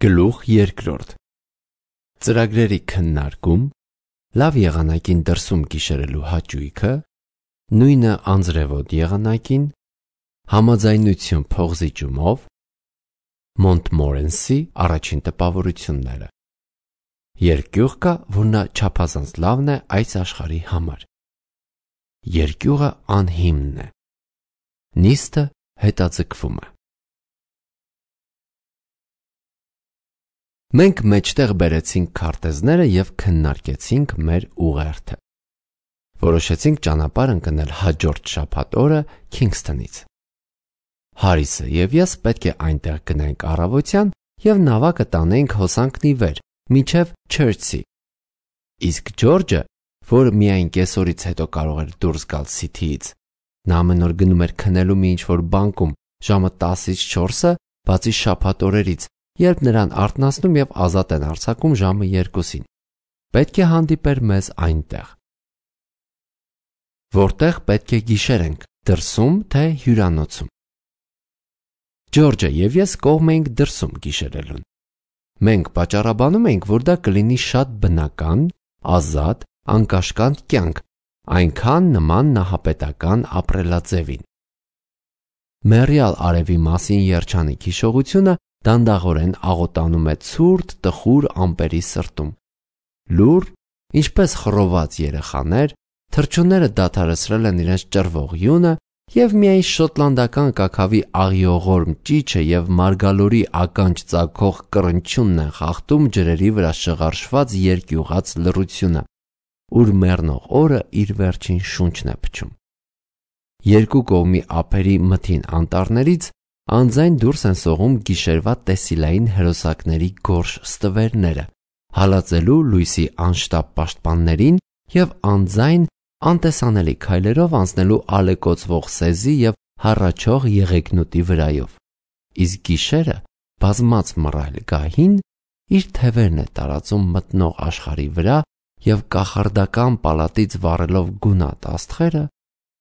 Գլուխ երկրորդ ծրագրերի քննարկում, լավ եղանակին դրսում գիշերելու հաճույքը, նույնը անձրևոտ եղանակին, համաձայնություն փողզիջումով, Մոնտմորենսի առաջին տպավորությունները։ Երկյուղ կա, որ նա չափազանց լավն է այս աշխարհի համար։ Երկյուղը անհիմն է։ Նիստը հետաձգվում է։ Մենք մեջտեղ բերեցինք քարտեզները և քննարկեցինք մեր ուղերձը։ Որոշեցինք ճանապարհ ընկնել հաջորդ շաբաթ օրը Քինգսթոնից։ Հարիսը և ես պետք է այնտեղ գնայինք առավոտյան և նավակը տանեինք հոսանքն ի վեր, մինչև Չերցի։ Իսկ Ջորջը, որ միայն կեսօրից հետո կարող էր դուրս գալ Սիթիից, նա ամեն օր գնում էր քնելու մի ինչ-որ բանկում ժամը 10-ից 4-ը, բացի շաբաթ օրերից, երբ նրան արթնացնում և ազատ են արձակում ժամը 2-ին, պետք է հանդիպեր մեզ այնտեղ։ Որտեղ պետք է գիշերենք, դրսում թե հյուրանոցում։ Ջորջը և ես կողմ էինք դրսում գիշերելուն։ Մենք պատճառաբանում էինք, որ դա կլինի շատ բնական, ազատ, անկաշկանդ կյանք, այնքան նման նահապետական ապրելաձևին։ Մեռյալ արևի մասին երջանիկ հիշողությունը դանդաղորեն աղոտանում է ցուրտ տխուր ամպերի սրտում։ Լուռ, ինչպես խռոված երեխաներ, թռչունները դադարեցրել են իրենց ճռվող յունը և միայն շոտլանդական կաքավի աղիողորմ ճիչը և մարգալորի ականջ ծագող կռնչյունն են խախտում ջրերի վրա շղարշված երկյուղած լռությունը, ուր մեռնող օրը իր վերջին շունչն է փչում։ Երկու կողմի ափերի մթին անտառներից անձայն դուրս են սողում գիշերվա տեսիլային հրոսակների գորշ ստվերները, հալածելու լույսի անշտապ պաշտպաններին և անձայն անտեսանելի քայլերով անցնելու ալեկոծվող սեզի և հառաչող եղեգնուտի վրայով։ Իսկ գիշերը, բազմած մռայլ գահին, իր թևերն է տարածում մթնող աշխարհի վրա և կախարդական պալատից վառելով գունատ աստղերը,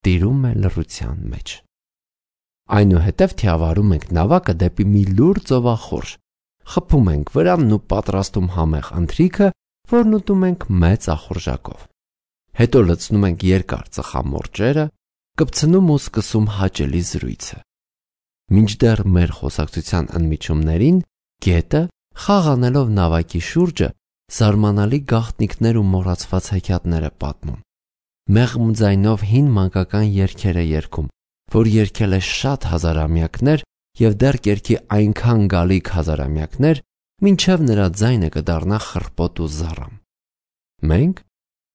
տիրում է լռության մեջ։ Այնուհետև թիավարում ենք նավակը դեպի մի լուռ ծովախորշ, խփում ենք վրանն ու պատրաստում համեղ ընթրիքը, որն ուտում ենք մեծ ախորժակով։ Հետո լցնում ենք երկար ծխամորճերը, կպցնում ու սկսում հաճելի զրույցը։ Մինչդեռ մեր խոսակցության ընդմիջումներին գետը, խաղ անելով նավակի շուրջը, զարմանալի գաղտնիքներ ու մոռացված հեքիաթներ է պատմում։ Մեղմ ձայնով հին մանկական երգեր է երգում, որ երգել է շատ հազարամյակներ և դեռ կերքի այնքան գալիք հազարամյակներ, մինչև նրա ձայնը կդառնա խռպոտ ու զառամ։ Մենք,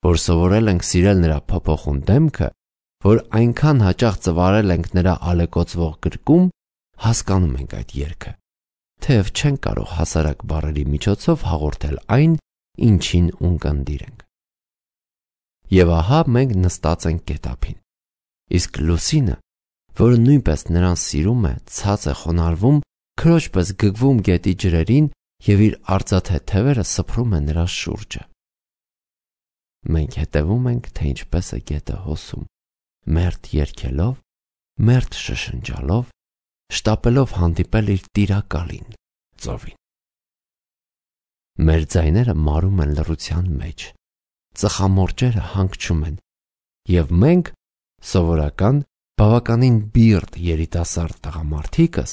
որ սովորել ենք սիրել նրա փոփոխուն դեմքը, որ այնքան հաճախ ծվարել ենք նրա ալեկոծվող գրկում, հասկանում ենք այդ երգը, թեև չենք կարող հասարակ բառերի միջոցով հաղորդել այն, ինչին ունկնդիր ենք։ Եվ ահա մենք նստած ենք գետափին, իսկ Լուսինը, որը նույնպես նրան սիրում է, ցած է խոնարհվում, քրոջ պես գգվում գետի ջրերին և իր արծաթե թևերը սփռում է նրա շուրջը։ Մենք հետևում ենք, թե ինչպես է գետը հոսում, մերթ երգելով, մերթ շշնջալով, շտապելով հանդիպել իր տիրակալին՝ ծովին։ Մեր ձայները մարում են լռության մեջ, ծխամորճերը հանգչում են, և մենք, սովորական, բավականին բիրտ երիտասարդ տղամարդիկս,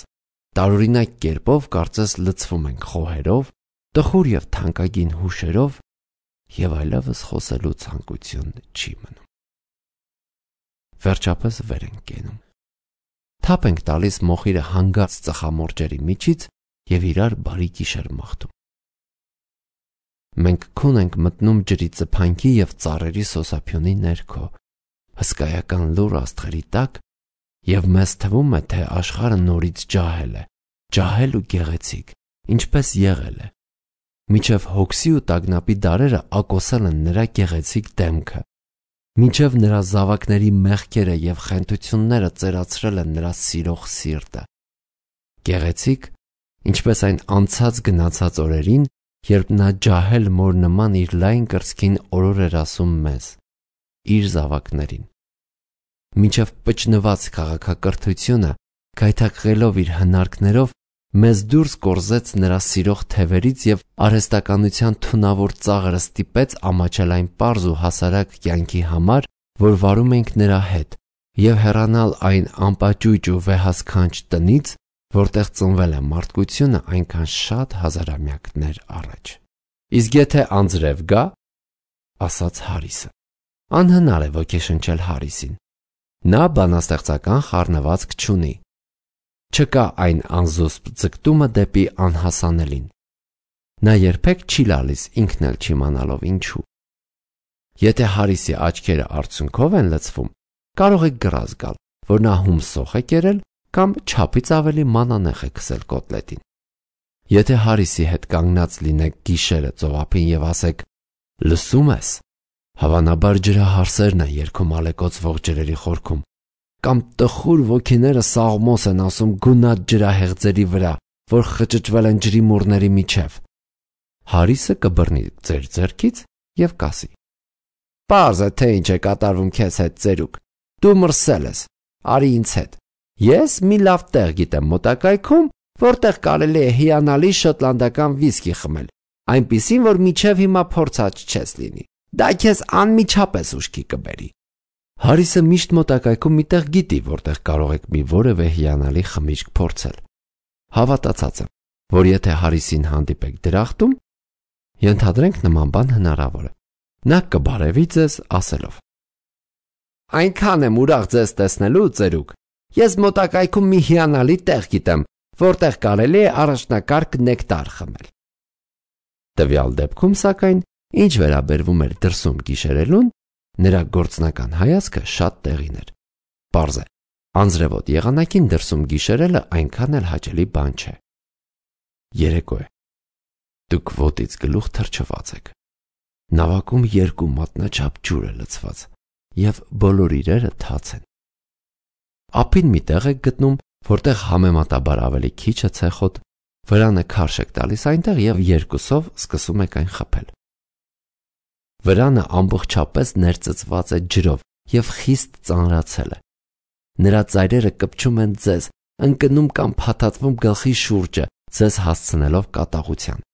տարօրինակ կերպով կարծես լցվում ենք խոհերով, տխուր և թանկագին հուշերով և այլևս խոսելու ցանկություն չի մնում։ Վերջապես վեր ենք կենում։ Թափ ենք տալիս մոխիրը հանգած ծխամորճերի միջից և իրար բարի գիշեր մաղթում։ Մենք քուն ենք մտնում ջրի ծփանքի և ծառերի սոսափյունի ներքո, հսկայական լուռ աստղերի տակ, և մեզ թվում է, թե աշխարհը նորից ջահել է, ջահել ու գեղեցիկ, ինչպես եղել է, մինչև հոգսի ու տագնապի դարերը ակոսել են նրա գեղեցիկ դեմքը, մինչև նրա զավակների մեղքերը և խենթությունները ծերացրել են նրա սիրող սիրտը։ Գեղեցիկ, ինչպես այն անցած գնացած օրերին, երբ նա ջահել մոր նման իր լայն կրծքին օրոր էր ասում մեզ, իր զավակներին, մինչև պճնված քաղաքակրթությունը, գայթակղելով իր հնարքներով, մեզ դուրս կորզեց նրա սիրող թևերից և արհեստականության թունավոր ծաղրը ստիպեց ամաչել այն պարզ ու հասարակ կյանքի համար, որ վարում ենք նրա հետ, և հեռանալ այն անպաճույճ ու վեհասքանչ տնից, որտեղ ծնվել է մարդկությունը այնքան շատ հազարամյակներ առաջ։ Իսկ եթե անձրև գա, ասաց Հարիսը։ Անհնար է ոգեշնչել Հարիսին։ Նա բանաստեղծական խառնվածք չունի։ Չկա այն անզուսպ ձգտումը դեպի անհասանելին։ Նա երբեք չի լալիս ինքն էլ չիմանալով ինչու։ Եթե Հարիսի աչքերը արցունքով են լցվում, կարող եք գրազ գալ, որ նա հումսոխ է կերել կամ չափից ավելի մանանեխ է քսել կոտլետին։ Եթե Հարիսի հետ կանգնած լինեք գիշերը ծովափին և ասեք. «Լսում ես», հավանաբար ջրահարսերն են երգում ալեկոծվող ջրերի խորքում, կամ տխուր ոգիները սաղմոս են ասում գունատ ջրահեղձերի վրա, որ խճճվել են ջրի մուրների միջև։ Հարիսը կբռնի ձեր ձեռքից և կասի. «Պարզ է, թե ինչ է կատարվում քեզ հետ, ծերուկ, դու մրսել ես, արի ինձ հետ։ Ես մի լավ տեղ գիտեմ մոտակայքում, որտեղ կարելի է հիանալի շոտլանդական վիսկի խմել, այնպիսին, որ մինչև հիմա փորձած չես լինի։ Դա քեզ անմիջապես ուշքի կբերի»։ Հարիսը միշտ մոտակայքում մի տեղ գիտի, որտեղ կարող եք մի որևէ հիանալի խմիչք փորձել։ Հավատացած եմ, որ եթե Հարիսին հանդիպեք դրախտում, ենթադրենք նման բան հնարավոր է, նա կբարևի ձեզ ասելով. «Այնքան եմ ուրախ ձեզ տեսնելու, ծերուկ, ես մոտակայքում մի հիանալի տեղ գիտեմ, որտեղ կարելի է առաջնակարգ նեկտար խմել»։ Տվյալ դեպքում, սակայն, ինչ վերաբերվում էր դրսում գիշերելուն, նրա գործնական հայացքը շատ տեղին էր։ Պարզ է, անձրևոտ եղանակին դրսում գիշերելը այնքան էլ հաճելի բան չէ։ Երեկո է։ Դուք ոտից գլուխ թրջված եք։ Նավակում 2 մատնաչափ ջուր է լցված, և բոլոր իրերը թաց են։ Ափին մի տեղ եք գտնում, որտեղ համեմատաբար ավելի քիչ է ցեխոտ, վրանը քարշ եք տալիս այնտեղ և 2-ով սկսում եք այն խփել։ Վրանը ամբողջապես ներծծված է ջրով և խիստ ծանրացել է։ Նրա ծայրերը կպչում են ձեզ, ընկնում կամ փաթաթվում գլխի շուրջը, ձեզ հասցնելով կատաղության։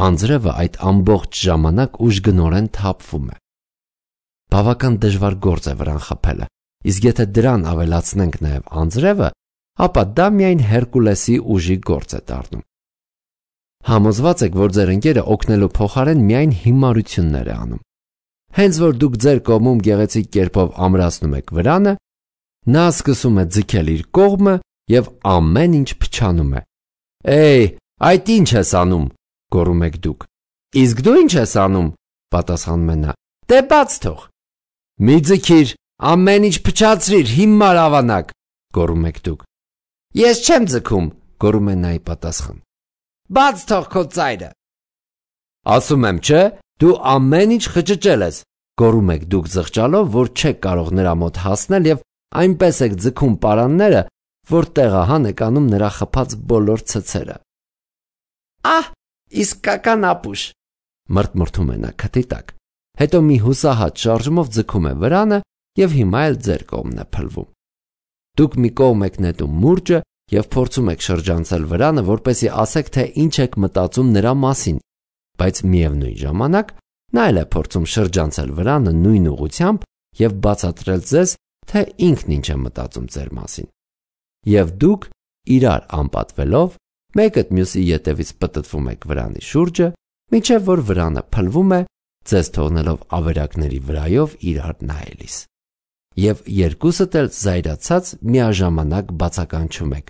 Անձրևը այդ ամբողջ ժամանակ ուժգնորեն թափվում է։ Բավական դժվար գործ է վրան խփելը, իսկ եթե դրան ավելացնենք նաև անձրևը, ապա դա միայն Հերկուլեսի ուժի գործ է դառնում։ Համոզված եք, որ ձեր ընկերը օգնելու փոխարեն միայն հիմարություններ է անում։ Հենց որ դուք ձեր կողմում գեղեցիկ կերպով ամրացնում եք վրանը, նա սկսում է ձգել իր կողմը և ամեն ինչ փչանում է։ «Էյ, այդ ինչ ես անում», գոռում եք դուք։ «Իսկ դու ինչ ես անում», պատասխանում է նա։ «Դե բաց թող»։ «Մի ձգիր, ամեն ինչ փչացրիր, հիմար ավանակ», գոռում եք դուք։ «Ես չեմ ձգում», գոռում է նա ի պատասխան։ «Բաց թող քո ծայրը»։ «Ասում եմ, չէ, դու ամեն ինչ խճճել ես», գոռում եք դուք զղջալով, որ չեք կարող նրա մոտ հասնել և այնպես եք ձգում պարանները, որ տեղահան եք անում նրա խփած բոլոր ցցերը։ «Ահ, իսկական ապուշ», մրթմրթում է նա քթի տակ, հետո մի հուսահատ շարժումով ձգում է վրանը և հիմա էլ ձեր կողմն է փլվում։ Դուք մի կողմ եք նետում մուրճը և փորձում եք շրջանցել վրանը, որպեսզի ասեք, թե ինչ եք մտածում նրա մասին, բայց միևնույն ժամանակ նա էլ է փորձում շրջանցել վրանը նույն ուղղությամբ և բացատրել ձեզ, թե ինքն ինչ է մտածում ձեր մասին։ Եվ դուք, իրար անպատվելով, մեկդ մյուսի ետևից պտտվում եք վրանի շուրջը, մինչև որ վրանը փլվում է, ձեզ թողնելով ավերակների վրայով իրար նայելիս։ Եվ երկուսդ էլ զայրացած միաժամանակ բացականչում եք.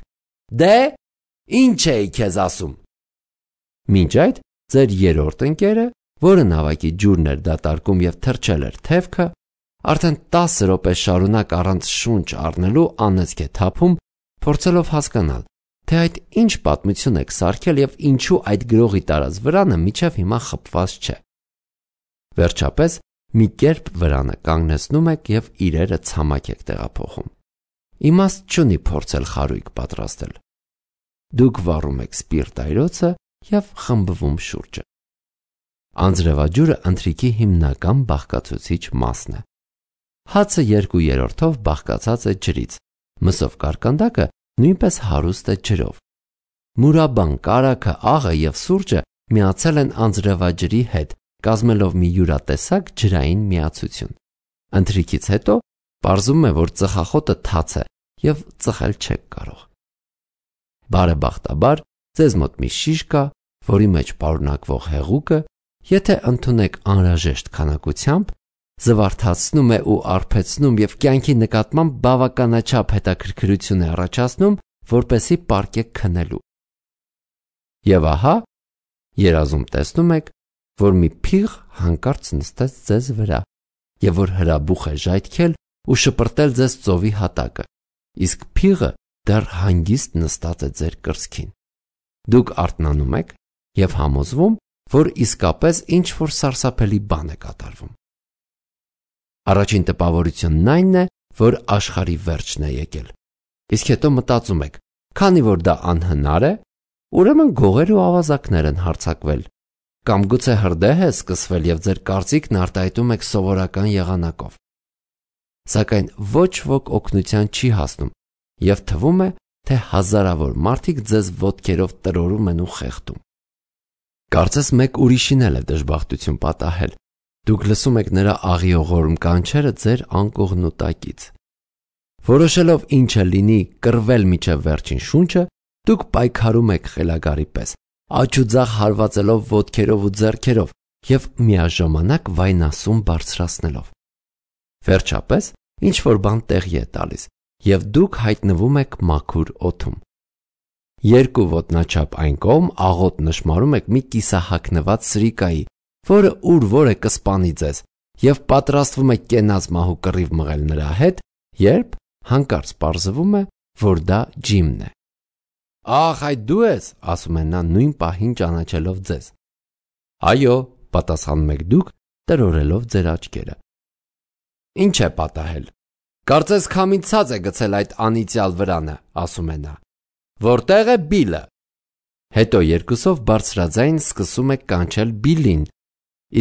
«Դե, ինչ էի քեզ ասում»։ Մինչ այդ ձեր երրորդ ընկերը, որը նավակի ջուրն էր դատարկում և թրջել էր թևքը, արդեն 10 րոպե շարունակ առանց շունչ առնելու անեծք է թափում, փորձելով հասկանալ, թե այդ ինչ պատմություն եք սարքել և ինչու այդ գրողի տարած վրանը մինչև հիմա խփված չէ։ Վերջապես մի կերպ վրանը կանգնեցնում եք և իրերը ցամաք եք տեղափոխում։ Իմաստ չունի փորձել խարույկ պատրաստել։ Դուք վառում եք սպիրտայրոցը և խմբվում շուրջը։ Անձրևաջուրը ընթրիքի հիմնական բաղկացուցիչ մասն է։ Հացը 2/3-ով բաղկացած է ջրից, մսով կարկանդակը նույնպես հարուստ է ջրով։ մուրաբան, կարագը, աղը և սուրճը միացել են անձրևաջրի հետ, կազմելով մի յուրատեսակ ջրային միացություն։ Ընթրիքից հետո պարզվում է, որ ծխախոտը թաց է և ծխել չեք կարող։ Բարեբախտաբար, ձեզ մոտ մի շիշ կա, որի մեջ պարունակվող հեղուկը, եթե ընդունեք անհրաժեշտ քանակությամբ, զվարթացնում է ու արբեցնում և կյանքի նկատմամբ բավականաչափ հետաքրքրություն է առաջացնում, որպեսզի պառկեք քնելու։ Եվ ահա, երազում տեսնում եք, որ մի փիղ հանկարծ նստեց ձեզ վրա, և որ հրաբուխ է ժայթքել ու շպրտել ձեզ ծովի հատակը, իսկ փիղը դեռ հանգիստ նստած է ձեր կրծքին։ Դուք արթնանում եք և համոզվում, որ իսկապես ինչ-որ սարսափելի բան է կատարվում։ Առաջին տպավորությունն այն է, որ աշխարհի վերջն է եկել, իսկ հետո մտածում եք, քանի որ դա անհնար է, ուրեմն գողեր ու ավազակներ են հարձակվել, կամ գուցե հրդեհ է սկսվել և ձեր կարծիքն արտահայտում եք սովորական եղանակով։ Սակայն ոչ ոք օգնության չի հասնում, և թվում է, թե հազարավոր մարդիկ ձեզ ոտքերով տրորում են ու խեղդում։ Կարծես մեկ ուրիշին էլ է դժբախտություն պատահել, դուք լսում եք նրա աղիողորմ կանչերը ձեր անկողնուտակից։ Որոշելով ինչը լինի կռվել մինչև վերջին շունչը, դուք պայքարում եք խելագարի պես, աջ ու ձախ հարվածելով ոտքերով ու ձեռքերով և միաժամանակ վայնասուն բարձրացնելով։ Վերջապես, ինչ-որ բան տեղի է տալիս, և դուք հայտնվում եք մաքուր օդում։ Երկու ոտնաչափ այն կողմ աղոտ նշմարում եք մի կիսահագնված սրիկայի, որը ուր-որ է կսպանի ձեզ, և պատրաստվում եք կենաց մահու կռիվ մղել նրա հետ, երբ հանկարծ պարզվում է, որ դա Ջիմն է։ «Ախ, այդ դու ես», ասում է նա նույն պահին ճանաչելով ձեզ։ «Այո», պատասխանում եք դուք, տրորելով ձեր աչքերը։ «Ինչ է պատահել։ Կարծես քամին ցած է գցել այդ անիծյալ վրանը», ասում է նա։ «Որտե՞ղ է Բիլը»։ Հետո երկուսով բարձրաձայն սկսում եք կանչել Բիլին,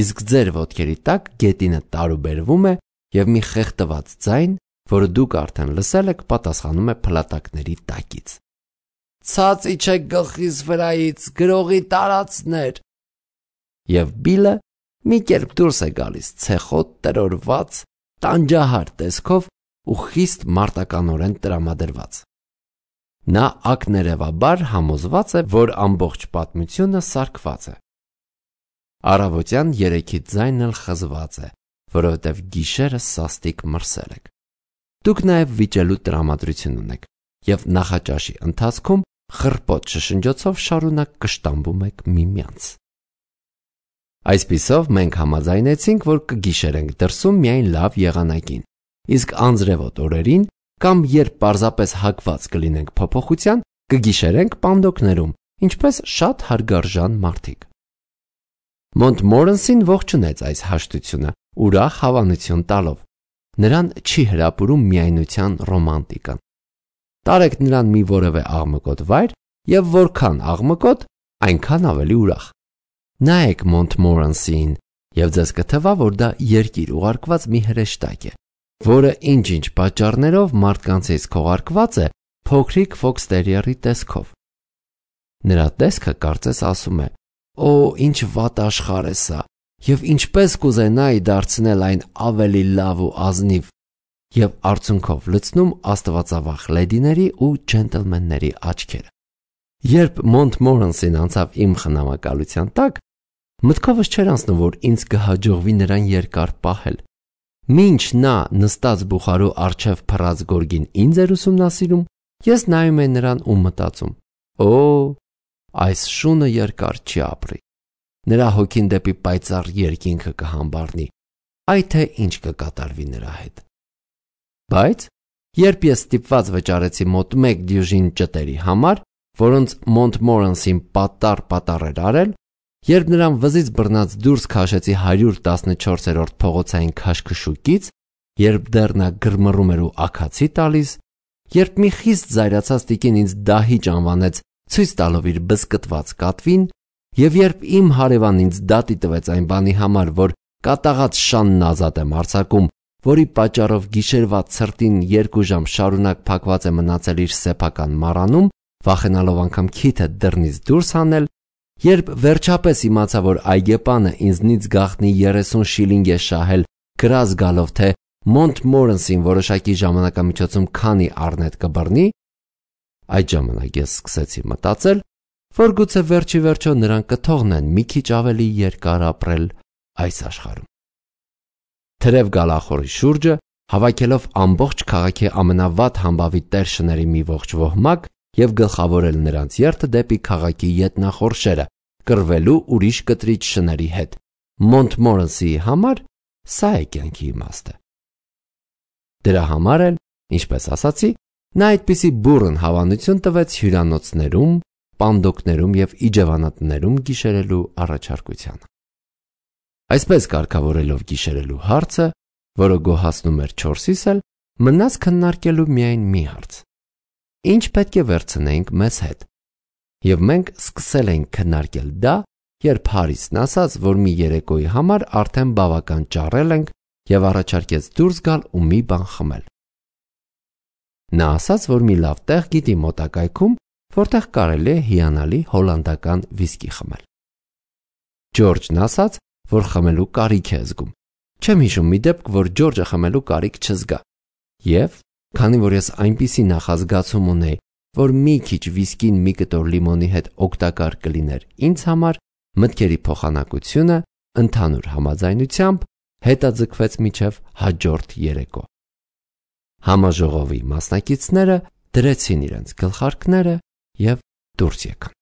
իսկ ձեր ոտքերի տակ գետինը տարուբերվում է, և մի խեղդված ձայն, որը դուք արդեն լսել եք, պատասխանում է փլատակների տակից. «Ցած իջեք գլխիս վրայից, գրողի տարածներ»։ Եվ Բիլը մի կերպ դուրս է գալիս ցեխոտ, տրորված, տանջահար տեսքով ու խիստ մարտականորեն տրամադրված։ Նա ակներևաբար համոզված է, որ ամբողջ պատմությունը սարքված է։ Առավոտյան 3-ից ձայնն էլ խզված է, որովհետև գիշերը սաստիկ մրսել եք։ Դուք նաև վիճելու տրամադրություն ունեք և նախաճաշի ընթացքում խռպոտ շշնջոցով շարունակ կշտամբում եք միմյանց։ Այսպիսով մենք համաձայնեցինք, որ կգիշերենք դրսում միայն լավ եղանակին, իսկ անձրևոտ օրերին կամ երբ պարզապես հակված կլինենք փոփոխության, կգիշերենք պանդոկներում, ինչպես շատ հարգարժան մարդիկ։ Մոնտմորենսին ողջունեց այս հաշտությունը, ուրախ հավանություն տալով։ Նրան չի հրապուրում միայնության ռոմանտիկան։ Տարեք նրան մի որևէ աղմկոտ վայր, և որքան աղմկոտ, այնքան ավելի ուրախ։ Նայեք Մոնտմորենսիին, և ձեզ կթվա, որ դա երկիր ուղարկված մի հրեշտակ է, որը ինչ-ինչ պատճառներով մարդկանցից քողարկված է փոքրիկ ֆոքստերիերի տեսքով։ Նրա տեսքը կարծես ասում է. «Օ, ինչ վատ աշխարհ է սա, և ինչպես կուզենայի դարձնել այն ավելի լավ ու ազնիվ», և արցունքով լցնում աստվածավախ լեդիների ու ջենտլմենների աչքերը։ Երբ Մոնտմորենսին անցավ իմ խնամակալության տակ, մտքովս չէր անցնում, որ ինձ կհաջողվի նրան երկար պահել։ Մինչ նա նստած բուխարու առջև փռած գորգին ինձ էր ուսումնասիրում, ես նայում էի նրան ու մտածում. «Օ, այս շունը երկար չի ապրի։ Նրա հոգին դեպի պայծառ երկինքը կհամբառնի, այ թե ինչ կկատարվի նրա հետ»։ Բայց երբ ես ստիպված վճարեցի մոտ 1 դյուժին ճտերի համար, որոնց Մոնտմորենսին պատառ էր արել, երբ նրան վզից բռնած դուրս քաշեցի 114-րդ փողոցային քաշքշուկից, երբ դեռ նա գրմռում էր ու աքացի տալիս, երբ մի խիստ զայրացած տիկին ինձ դահիճ անվանեց, ցույց տալով իր բզկտված կատվին, և երբ իմ հարևանն ինձ դատի տվեց այն բանի համար, որ կատաղած շանն ազատ եմ արձակում, որի պատճառով գիշերվա ցրտին 2 ժամ շարունակ փակված է մնացել իր սեփական մառանում, վախենալով անգամ քիթը դռնից դուրս հանել, երբ վերջապես իմացա, որ այգեպանը ինձնից գաղտնի 30 շիլինգ է շահել, գրազ գալով, թե Մոնտմորենսին որոշակի ժամանակամիջոցում քանի առնետ կբռնի, այդ ժամանակ ես սկսեցի մտածել, որ գուցե վերջի վերջո նրան կթողնեն մի քիչ ավելի երկար ապրել այս աշխարհում։ Թրև գալախորի շուրջը, հավաքելով ամբողջ քաղաքի ամենավատ համբավի տեր շների մի ողջ ոհմակ և գլխավորել նրանց երթը դեպի քաղաքի ետնախորշերը, կռվելու ուրիշ կտրիչ շների հետ, Մոնտմորենսի համար սա է կյանքի իմաստը։ Դրա համար էլ, ինչպես ասացի, նա այդպիսի բուռն հավանություն տվեց հյուրանոցներում, պանդոկներում և իջևանատներում գիշերելու առաջարկությանը։ Այսպես կարգավորելով գիշերելու հարցը, որը գոհացնում էր 4-իս էլ, մնաց քննարկելու միայն մի հարց. ինչ պետք է վերցնեինք մեզ հետ։ Եվ մենք սկսել էինք քննարկել դա, երբ Հարիսն ասաց, որ մի երեկոյի համար արդեն բավական ճարել ենք և առաջարկեց դուրս գալ ու մի բան խմել։ Նա ասաց, որ մի լավ տեղ գիտի մոտակայքում, որտեղ կարելի է հիանալի հոլանդական վիսկի խմել։ Ջորջն ասաց, որ խմելու կարիք է զգում։ Չեմ հիշում մի դեպք, որ Ջորջը խմելու կարիք չզգա։ Եվ, քանի որ ես այնպիսի նախազգացում ունեի, որ մի քիչ վիսկին մի կտոր լիմոնի հետ օգտակար կլիներ ինձ համար, մտքերի փոխանակությունը ընդհանուր համաձայնությամբ հետաձգվեց մինչև հաջորդ երեկո։ Համաժողովի մասնակիցները դրեցին իրենց գլխարկները և դուրս եկան։